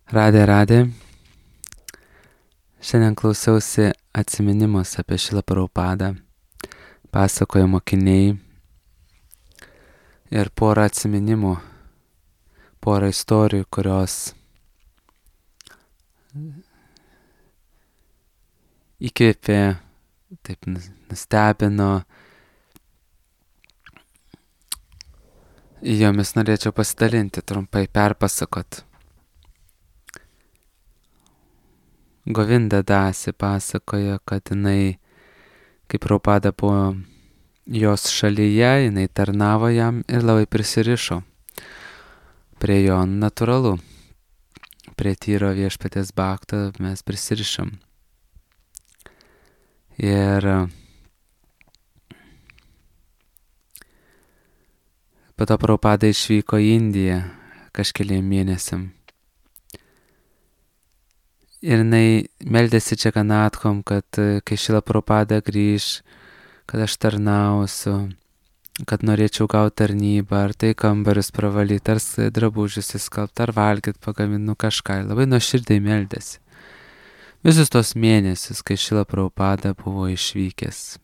Radė. Šiandien klausiausi atsiminimus apie Šrila Prabhupadą, pasakoja mokiniai ir porą atsiminimų, porą istorijų, kurios įkvėpė, taip nustebino. Jomis norėčiau pasidalinti, trumpai perpasakot. Govinda Dasi pasakoja, kad jinai, kaip Prabhupada buvo jos šalyje, jinai tarnavo jam ir labai prisirišo prie jo. Natūralu, prie tyro viešpaties bhakto mes prisirišam. Ir po to Prabhupada išvyko į Indiją kažkeliem mėnesiam. Ir jinai meldėsi Džaganatkom, kad kai Šrila Prabhupada grįž, kad aš tarnausiu, kad norėčiau gauti tarnybą, ar tai kambarius pravalyti, ar drabužius įskalbti, ar valgyti, pagaminti kažką. Labai nuoširdžiai meldėsi. Visus tos mėnesius, kai Šrila Prabhupada buvo išvykęs.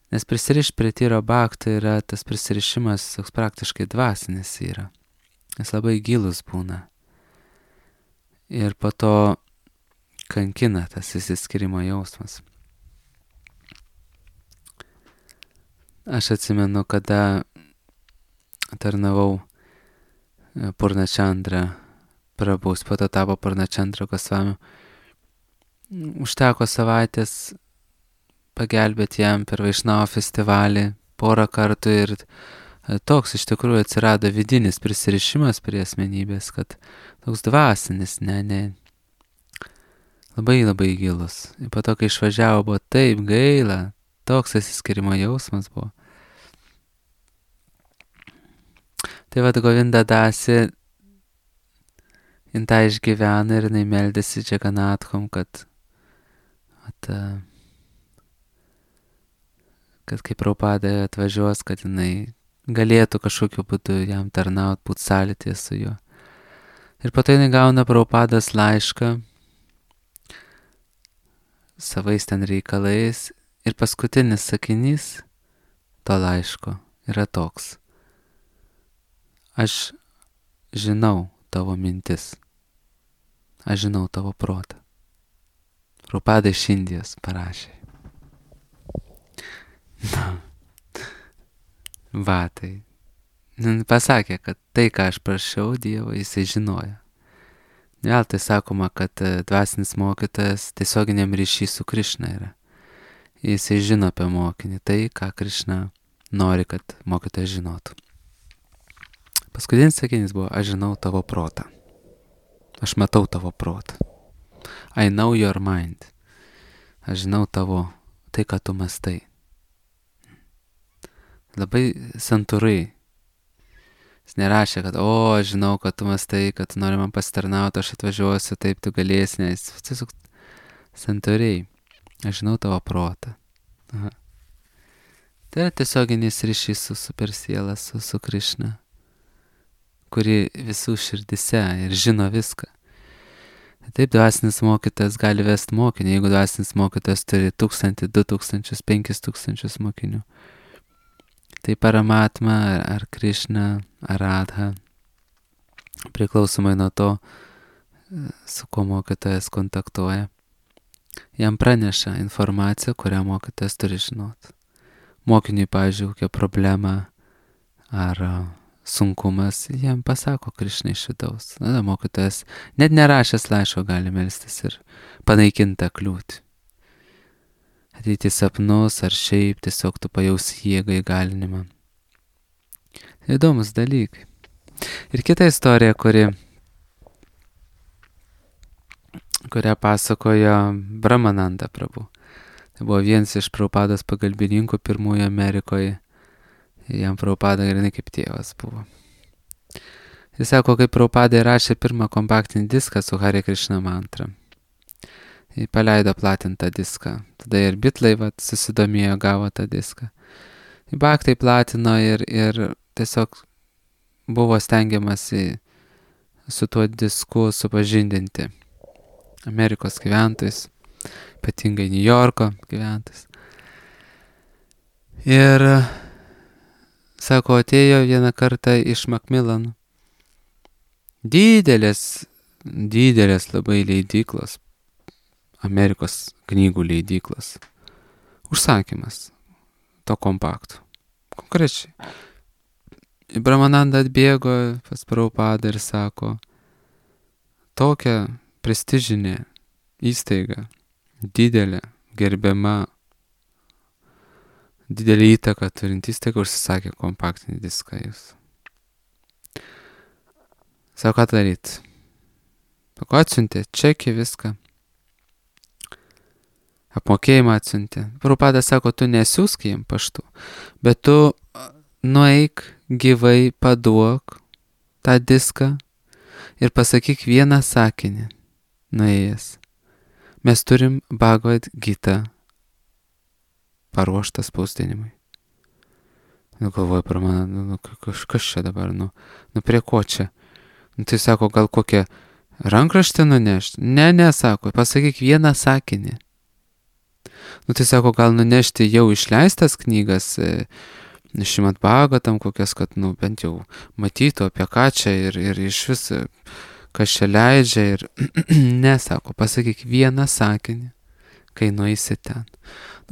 Nes prisirišti prie tyro bhakto yra tas prisirišimas, toks praktiškai dvasinis yra. Jis labai gilus būna. Ir po to kankina tas išsiskyrimo jausmas. Aš atsimenu, kada tarnavau Purnachandra Prabhus, po to tapo Purnachandra Gosvami. Užteko savaitės pagelbėti jam per Vaišnavo festivalį porą kartų ir toks iš tikrųjų atsirado vidinis prisirišimas prie asmenybės, kad toks dvasinis, labai gilus. Ir po to, kai išvažiavo, buvo taip gaila, toks išsiskyrimo jausmas buvo. Tai vad Govinda Dasi, jin tą išgyvena ir jinai meldėsi Džaganatkom, kad kai Prabhupada atvažiuos, kad jinai galėtų kažkokiu būdu jam tarnauti, būti sąlytyje su juo. Ir po to jinai gauna Prabhupados laišką savais ten reikalais ir paskutinis sakinys to laiško yra toks: aš žinau tavo mintis, aš žinau tavo protą. Prabhupada iš Indijos parašė. Va, tai pasakė, kad tai, ką aš prašiau Dievo, jisai žinojo. Vėl tai sakoma, kad dvasinis mokytojas tiesioginiam ryšy su Krišna yra. Jisai žino apie mokinį, tai, ką Krišna nori, kad mokytojas žinotų. Paskutinis sakinys buvo: aš žinau tavo protą. Aš matau tavo protą. I know your mind. Aš žinau tavo, tai, ką tu mastai. Labai santūrai. Jis nerašė, kad aš žinau, kad tu mastai, kad tu nori man pasitarnauti, aš atvažiuosiu, taip tu galėsi, nes tiesiog santūriai. Aš žinau tavo protą. Aha. Tai yra tiesioginis ryšys su supersiela, su Krišna, kuri visų širdise ir žino viską. Taip, dvasinis mokytojas gali vesti mokinį, jeigu dvasinis mokytojas turi 1000, 2000, 5000 mokinių. Tai Paramatma ar Krišna ar Radha, priklausomai nuo to, su kuo mokytojas kontaktuoja, jam praneša informaciją, kurią mokytojas turi žinoti. Mokiniui, pavyzdžiui, kokia problema ar sunkumas, jam pasako Krišna iš vidaus. Na, mokytojas net nerašęs laiško gali melstis ir panaikinti tą kliūtį. Ateiti sapnus ar šiaip tiesiog tu pajausi jėgą, įgalinimą. Įdomus dalykai. Ir kita istorija, kurią pasakojo Brahmananda Prabhu. Tai buvo vienas iš Prabhupados pagalbininkų pirmųjų Amerikoje. Jam Prabhupada grinai kaip tėvas buvo. Jis sako, kaip Prabhupada įrašė pirmą kompaktinį diską su Hare Krishna mantra. Jis paleido platintą diską. Tada ir bitlai susidomėjo, gavo tą diską. Bhaktai platino ir tiesiog buvo stengiamasi su tuo disku supažindinti Amerikos gyventojus, ypatingai New Yorko gyventojus. Ir, sako, atėjo vieną kartą iš Macmillan didelės labai leidyklos, Amerikos knygų leidyklos, užsakymas to kompaktų. Konkrečiai. Brahmananda atbėgo pas Prabhupadą ir sako, tokia prestižinė įstaiga, didelė, gerbiama, didelį įtaką turinti įstaiga užsisakė kompaktinį diską jūs. Sako, ką daryt? Sako, atsiuntė čekį viską. Apmokėjimą atsiuntė. Prabhupada sako, tu nesiųsk jiem paštu, bet tu nueik gyvai, paduok tą diską ir pasakyk vieną sakinį nuėjęs. Mes turim Bhagavad Gita paruoštą spausdinimui. Galvoju, per mane, kas čia dabar, prie ko čia? Tai sako, gal kokią rankraštį nunešti? Ne, sako, pasakyk vieną sakinį. Tai sako, gal nunešti jau išleistas knygas, Šrimad Bhagavatam kokias, kad, bent jau matytų apie ką čia ir iš vis, kas čia leidžia ir ne, sako, pasakyk vieną sakinį, kai nueisi ten.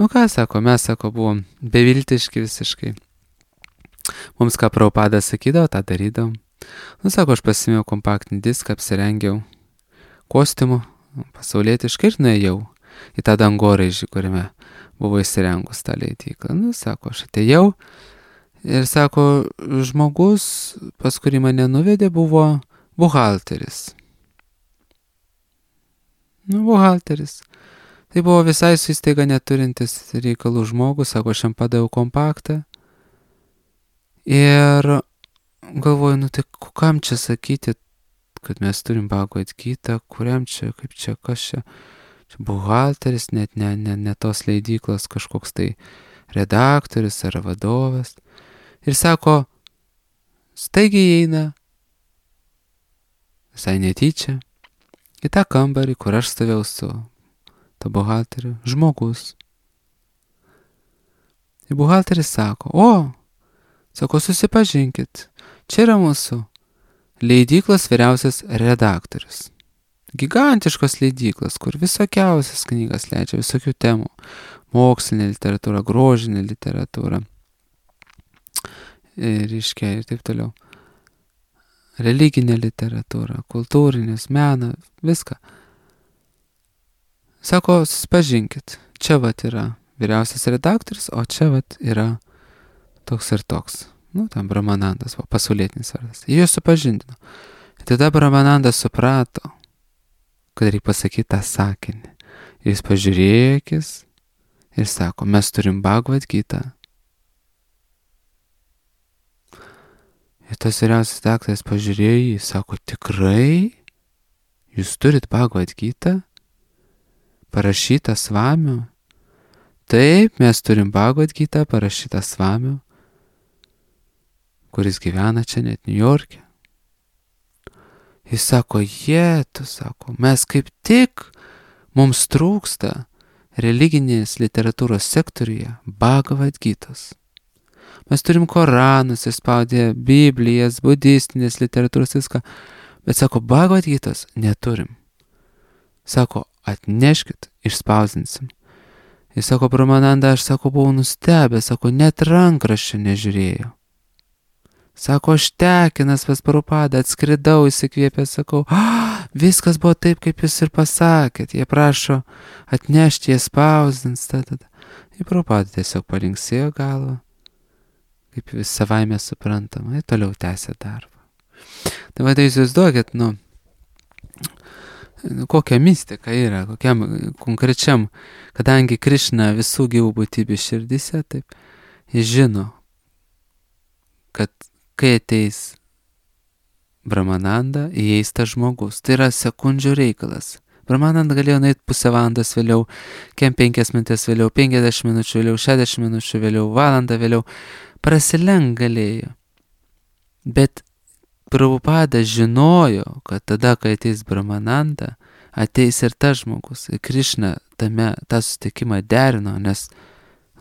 Ką, sako, mes, sako, buvom beviltiški visiškai. Mums ką Prabhupada sakydavo, tą darydavom. Sako, aš pasimėjau kompaktinį diską, apsirengiau kostiumu, pasaulietiškai ir nuėjau į tą dangoraižį, kuriame buvo įsirengus tą leidyklą. Sako, aš atėjau ir, sako, žmogus, pas kurį mane nuvedė, buvo buhalteris. Buhalteris. Tai buvo visai su įstaiga neturintis reikalų žmogus, sako, aš jam padaviau kompaktą. Ir galvoju, tai kam čia sakyti, kad mes turim Bhagavad Gita, kuriam čia, kaip čia, kas čia. Čia buhalteris, net ne tos leidyklos kažkoks tai redaktorius ar vadovas. Ir sako, staigiai eina, visai netyčia, į tą kambarį, kur aš stovėjau su to buhalteriu, žmogus. Ir buhalteris sako, sako, susipažinkit, čia yra mūsų leidyklos vyriausias redaktorius. Gigantiškos leidyklos, kur visokiausias knygas leidžia, visokių temų. Mokslinė literatūra, grožinė literatūra. Ir taip toliau. Religinė literatūra, kultūrinis, meną, viską. Sako, susipažinkit, čia vat yra vyriausias redaktorius, o čia vat yra toks ir toks. Tam Brahmanandas, pasaulietinis vardas. Jie supažindino. Tada Brahmanandas suprato, kad reikia pasakyti tą sakinį. Jis pažiūrėjo akis ir sako, mes turim Bhagavad Gita. Ir tas vyriausias daktaras pažiūrėjo jį, sako, tikrai? Jūs turit Bhagavad Gita? Parašytą Svamiu? Taip, mes turim Bhagavad Gita parašytą Svamiu, kuris gyvena čia net New York'e. Jis sako, sako, mes kaip tik, mums trūksta religinės literatūros sektoriuje Bhagavad Gitos. Mes turim Koranus, išspaudę Biblijas, budistinės literatūros, viską, bet sako, Bhagavad Gitos neturim. Sako, atneškit, išspausdinsim. Jis sako, Brahmananda, aš, sako, buvau nustebęs, sako, net rankraščio nežiūrėjau. Sako, aš tekinas pas Prabhupadą, atskridau, įsikvėpęs, sakau, viskas buvo taip, kaip jūs ir pasakėt. Jie prašo atnešti, jie spausdins. Ir Prabhupada tiesiog palinksėjo galvą, kaip vis savaime suprantama, ir toliau tęsė darbą. Tai vadai, jūs duokit, kokia mistika yra, kokiam konkrečiam, kadangi Krišna visų gyvų būtybių širdise, taip, jis žino, kad kai ateis Brahmananda, įeis tas žmogus. Tai yra sekundžių reikalas. Brahmananda galėjo nueiti pusę valandos vėliau, 5 minutės vėliau, 50 minučių vėliau, 60 minučių vėliau, valandą vėliau. Prasilenk galėjo. Bet Prabhupada žinojo, kad tada, kai ateis Brahmananda, ateis ir tas žmogus. Ir Krišna tą susitikimą derino, nes,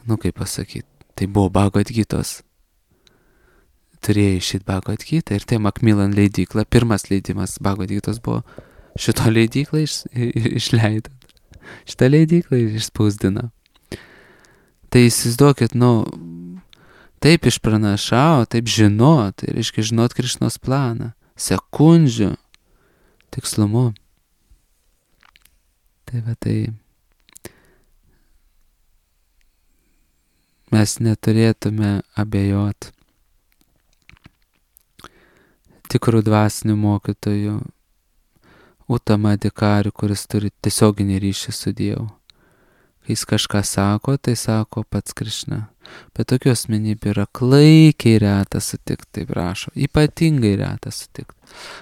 kaip pasakyti, tai buvo Bhagavad Gitos. Turėjo išeit Bhagavad Gita ir tai Macmillan leidykla, pirmas leidimas Bhagavad Gitos buvo šito leidyklą išleido. Šitą leidyklą išspausdino. Tai įsivaizduokit, taip išpranašavo, taip žinot, tai reiškia žinot Krišnos planą, sekundžių tikslumu. Tai mes neturėtume abejot tikrų dvasinių mokytojų, Uttama Adhikari, kuris turi tiesioginį ryšį su Dievu. Kai jis kažką sako, tai sako pats Krišna. Bet tokių asmenybių yra klaikiai reta sutikti, taip rašo. Ypatingai reta sutikti.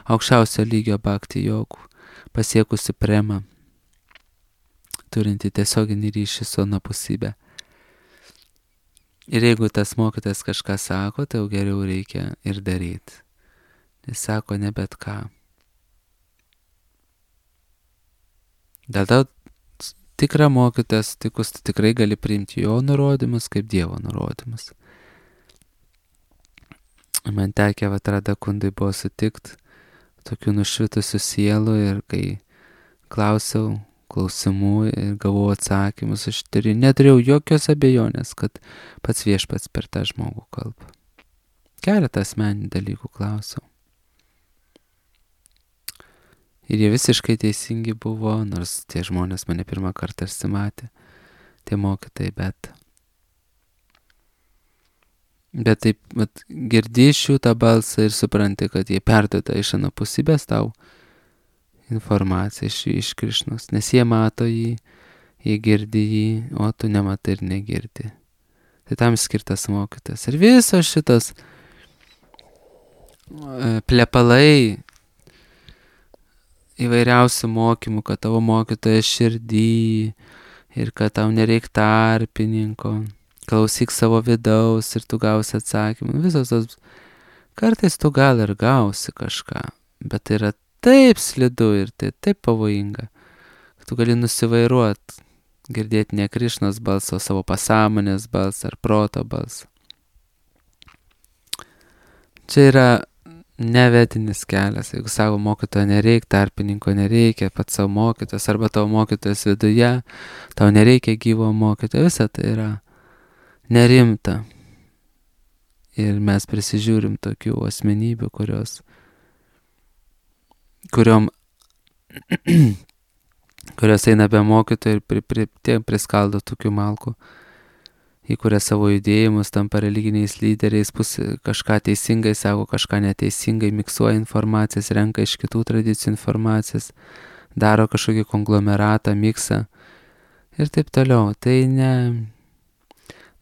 Aukščiausio lygio bhakti jogų, pasiekusi prema, turinti tiesioginį ryšį su anapusybė. Ir jeigu tas mokytas kažką sako, tai jau geriau reikia ir daryti. Jis sako ne bet ką. Dėl to tikrą mokytoją sutikus, tu tikrai gali priimti jo nurodymus kaip Dievo nurodymus. Man tekė Radha Kundai buvo sutikti tokių nušvitusių sielų ir kai klausiau klausimų ir gavau atsakymus, aš neturėjau jokios abejonės, kad pats Viešpats per tą žmogų kalba. Keletą asmeninių dalykų klausiau. Ir jie visiškai teisingi buvo, nors tie žmonės mane pirmą kartą matė, tie mokytojai, bet taip, girdi iš jų tą balsą ir supranti, kad jie perduoda iš anapusybės tau informaciją iš Krišnos, nes jie mato jį, jie girdi jį, o tu nematai ir negirdi. Tai tam skirtas mokytas. Ir visos šitos plepalai įvairiausių mokymų, kad tavo mokytojas širdį ir kad tau nereik tarpininko, klausyk savo vidaus ir tu gausi atsakymą. Visos tos, kartais tu gal ir gausi kažką, bet tai yra taip slidu ir tai taip pavojinga, kad tu gali nusivairuoti, girdėti ne Krišnos balsą, savo pasąmonės balsą ar proto balsą. Čia yra nevetinis kelias, jeigu savo mokytojo nereikia, tarpininko nereikia, pats savo mokytojas arba tavo mokytojas viduje, tau nereikia gyvo mokytojo, visa tai yra nerimta. Ir mes prisižiūrim tokių asmenybių, kurios eina be mokytojo ir priskaldo tokių malkų, įkuria savo judėjimus, tampa religiniais lyderiais, kažką teisingai sako, kažką neteisingai, miksuoja informacijas, renka iš kitų tradicijų informacijas, daro kažkokį konglomeratą, miksą ir taip toliau.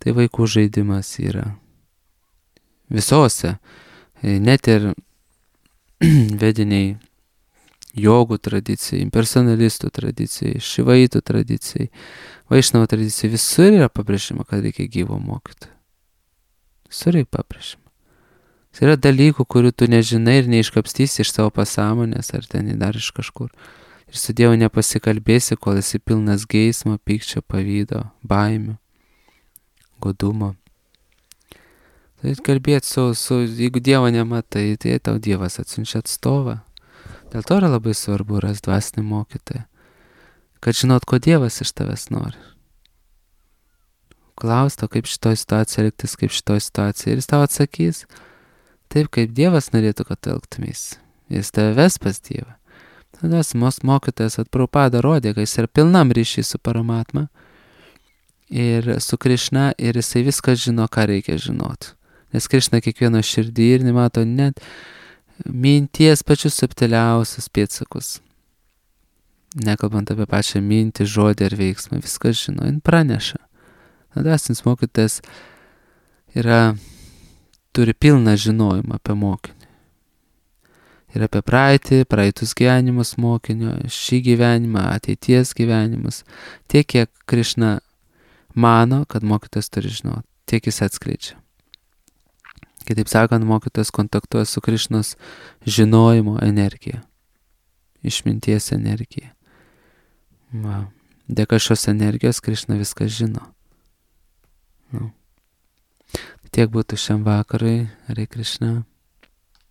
Tai vaikų žaidimas yra. Visose, net ir vediniai jogų tradicijai, personalistų tradicijai, šivaitų tradicijai, vaišnavo tradicijai, visur yra pabrėžima, kad reikia gyvo mokytojo. Visur yra pabrėžima. Tai yra dalykų, kurių tu nežinai ir neiškapstysi iš savo pasąmonės ar ten dar iš kažkur. Ir su Dievu nepasikalbėsi, kol esi pilnas geismo, pykčio, pavydo, baimių, godumo. Tai kalbėti jeigu Dievo nematai, tai tau Dievas atsiunčia atstovą. Dėl to yra labai svarbu rasti dvasinį mokytoją, kad žinot, ko Dievas iš tavęs nori. Klausto, kaip šitoj situacijoje elgtis, kaip šitoj situacijoje. Ir jis tau atsakys, taip kaip Dievas norėtų, kad tu elgtumės. Jis tave ves pas Dievą. Tada mokytojas Prabhupada rodė, kad jis yra pilnam ryšį su Paramatma ir su Krišna ir jisai viską žino, ką reikia žinoti. Nes Krišna kiekvieno širdį ir nemato net minties pačius subtiliausius pėdsakus. Nekalbant apie pačią mintį, žodį ar veiksmą, viską žino, jin praneša. Dvasinis mokytojas turi pilną žinojimą apie mokinį. Ir apie praeitus gyvenimus mokinio, šį gyvenimą, ateities gyvenimus. Tiek, kiek Krišna mano, kad mokytojas turi žinoti, tiek jis atskleidžia. Kitaip sakant, mokytojas kontaktuoja su Krišnos žinojimo energija, išminties energija. Va. Dėka šios energijos Krišna viską žino. Nu. Tiek būtų šiam vakarui, Hare Krishna.